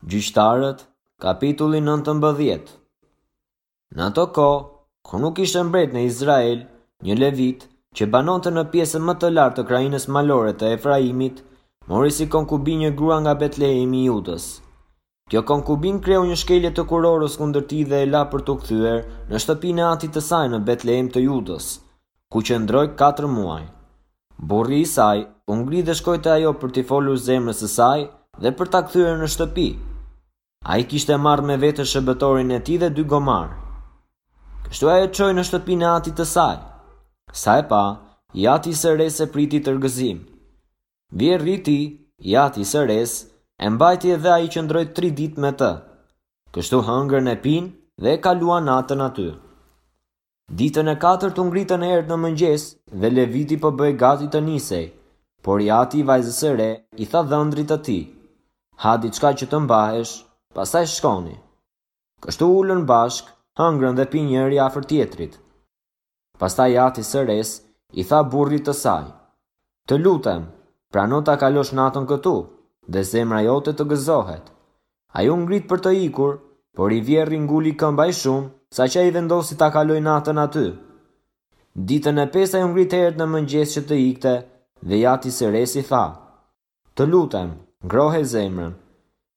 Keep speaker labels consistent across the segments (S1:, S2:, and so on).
S1: Gjyqtarët, kapitulli 19 Në ato kohë, kur nuk kishte mbret në Izrael, një levit, që banonte në pjesën më të lartë të krahinës malore të Efraimit, mori si konkubinë një grua nga Betlehemi i Judës. Kjo konkubinë kreu një shkelje të kurorës kundër tij dhe e la për t'u kthyer në shtëpinë e atit të saj në Betlehem të Judës, ku qëndroi katër muaj. Burri i saj u ngrit dhe shkoi te ajo për t'i folur zemrës së saj dhe për ta kthyer në shtëpi. Ai kishte marrë me vete shërbëtorin e tij dhe dy gomarë. Kështu ai e çoi në shtëpinë e atit të saj. Sa e pa, i ati i së resë e priti tërë gëzim. Vjehrri i tij, i ati i së resë, e mbajti dhe ai qëndroi tri ditë me të. Kështu hëngrën e pinë dhe e kaluan natën aty. Ditën e katërt u ngritën herët në mëngjes dhe Leviti po bëhej gati të nisej, por i ati i vajzës së re i tha dhëndrit të tij, Ha diçka që të mbahesh, pastaj shkoni. Kështu u ulën bashkë, hëngrën dhe pinë njëri afër tjetrit. Pastaj i ati i së resë i tha burrit të saj, Të lutem, prano ta kalosh natën këtu, dhe zemra jote të gëzohet. Ai u ngrit për të ikur, por i vjehrri nguli këmbë aq shumë, saqë ai vendosi ta kalojë natën aty. Ditën e pestë ai u ngrit herët në mëngjes që të ikte dhe i ati i së resë i tha, Të lutem, ngrohe zemrën.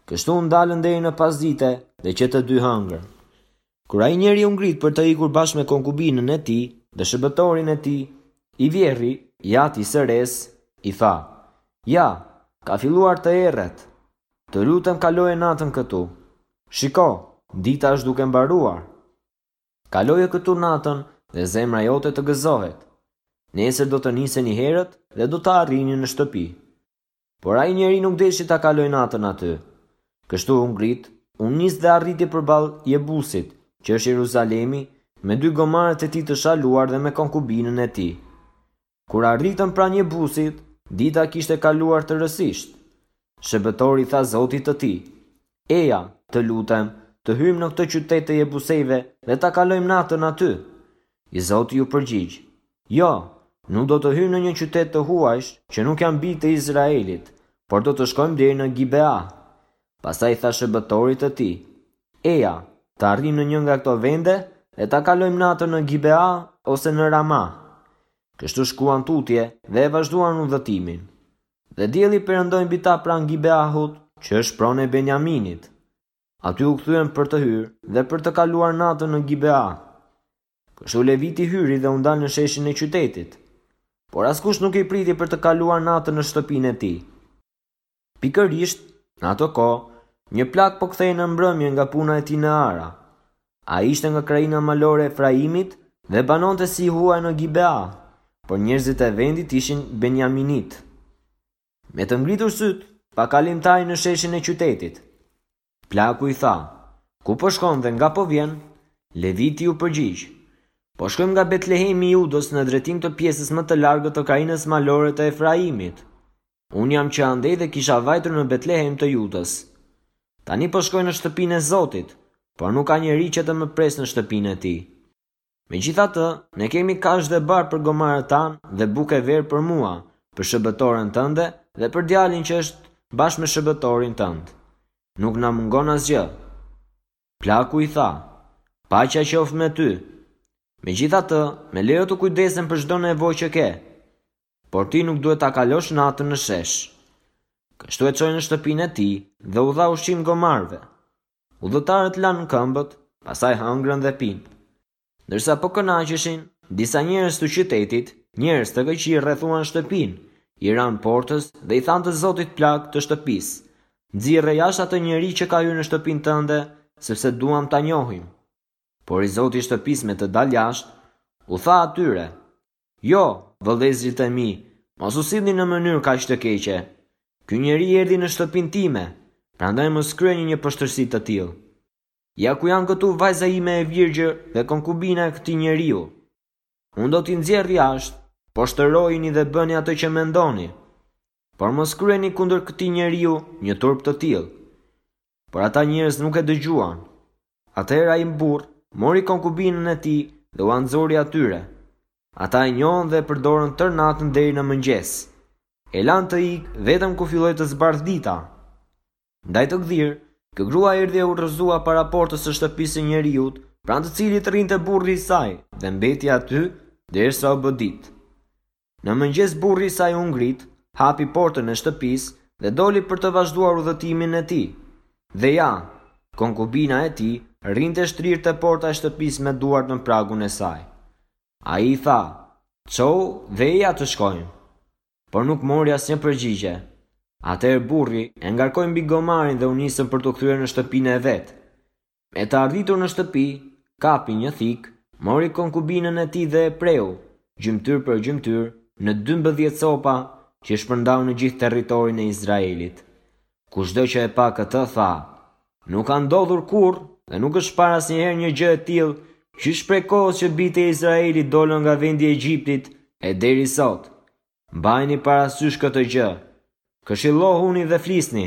S1: Kështu u ndalën deri në pasdite dhe që të dy hëngrën. Kur ai njeri u ngrit për të ikur bashkë me konkubinën e tij dhe shërbëtorin e tij, i vjehrri, i ati i së resë, i tha, Ja, ka filluar të erret. Të lutem kaloje natën këtu. Shiko, dita është duke mbaruar. Kaloje këtu natën dhe zemra jote të gëzohet. Nesër do të niseni herët dhe do të arrini në shtëpi. Por ai njeri nuk deshi ta kalojë natën aty. Kështu u ngrit, u nis dhe arriti përballë Jebusit, që është Jeruzalemi, me dy gomarët e tij të shaluar dhe me konkubinën e tij. Kur arritën pranë Jebusit, dita kishte kaluar tërësisht. Shërbëtori i tha zotit të tij, Eja, të lutem, të hyjmë në këtë qytet të Jebusejve dhe ta kalojmë natën aty. I zoti iu përgjigj, Jo, nuk do të hyjmë në një qytet të huajsh që nuk janë bij të Izraelit, por do të shkojmë deri në Gibea. Pastaj i tha shërbëtorit të tij, Eja, të arrijmë në një nga këto vende dhe ta kalojmë natën në Gibea ose në Rama. Kështu shkuan tutje dhe e vazhduan udhëtimin. Dhe dielli perëndoi mbi ta pranë Gibeahut, që është pronë e Benjaminit. Aty u kthyen për të hyrë dhe për të kaluar natën në Gibea. Kështu Leviti hyri dhe u ndal në sheshin e qytetit. Por askush nuk i priti për të kaluar natën në shtëpinë e tij. Pikërisht, në atë kohë, një plak po kthehej në mbrëmje nga puna e tij në ara. Ai ishte nga krahina malore e Efraimit dhe banonte si i huaj në Gibea, por njerëzit e vendit ishin benjaminitë. Me të ngritur sytë, pa kalimtarin në sheshin e qytetit. Plaku i tha, Ku po shkon dhe nga po vjen? Leviti iu përgjigj, Po shkojmë nga Betlehemi i Judës në drejtim të pjesës më të largët të krahinës malore të Efraimit. Unë jam që andej dhe kisha vajtur në Betlehem të Judës. Tani po shkoj në shtëpinë e Zotit, por nuk ka njeri që të më presë në shtëpinë e tij. Megjithatë, ne kemi kashtë dhe bar për gomarët tanë dhe bukë e verë për mua, për shërbëtoren tënde dhe për djalin që është bashkë me shërbëtorin tënd. Nuk na mungon asgjë. Plaku i tha, Paqja qoftë me ty. Megjithatë, më lejo të kujdesem për çdo nevojë që ke. Por ti nuk duhet ta kalosh natën në shesh. Kështu e çoi në shtëpinë e tij dhe u dha ushqim gomarëve. Udhëtarët lanë këmbët, pastaj hëngrën dhe pinë. Ndërsa po kënaqeshin, disa njerëz të qytetit, njerëz të këqij rrethuan shtëpinë, i ranë portës dhe i thanë të zotit plak të shtëpisë, Nxirre jashtë atë njeri që ka hyrë në shtëpinë tënde, sepse duam ta njohim. Por i zoti i shtëpisë me të dalë jashtë, u tha atyre, Jo, vëllezërit e mi, mos u sillni në mënyrë kaq të keqe. Ky njeri erdhi në shtëpinë time, prandaj mos kryeni një poshtërsi të tillë. Ja ku janë këtu vajza ime e virgjër dhe konkubina e këtij njeriu. Unë do t'i nxjerr jashtë, poshtërojini dhe bëni atë që mendoni. Por mos kryeni kundër këtij njeriu një turp të tillë. Por ata njerëz nuk e dëgjuan. Atëherë ai burrë mori konkubinën e tij dhe ua nxori atyre. Ata e njohën dhe e përdorën tërë natën deri në mëngjes. E lanë të ikë vetëm kur filloi të zbardhë dita. Ndaj të gdhirë, Kjo grua erdhi e u rrëzua para portës së shtëpisë së njeriut, pranë të cilit rrinte burri i saj dhe mbeti aty derisa u bë ditë. Në mëngjes burri i saj u ngrit, hapi portën e shtëpisë dhe doli për të vazhduar udhëtimin e tij. Dhe ja, konkubina e tij rrinte shtrirë te porta e shtëpisë me duart në pragun e saj. Ai i tha, Çohu dhe eja të shkojmë. Por nuk mori asnjë përgjigje. Atëherë burri e ngarkoi mbi gomarin dhe u nisën për t'u kthyer në shtëpinë e vet. Me të arritur në shtëpi, kapi një thikë, mori konkubinën e tij dhe e preu, gjymtyrë për gjymtyrë, në 12 copa që i shpërndau në gjithë territorin e Izraelit. Kushdo që e pa këtë tha, nuk ka ndodhur kurrë dhe nuk është parë asnjëherë një gjë e tillë qysh prej kohës që bijtë e Izraelit dolën nga vendi i Egjiptit e deri sot. Mbajeni parasysh këtë gjë. Këshillohuni dhe flisni.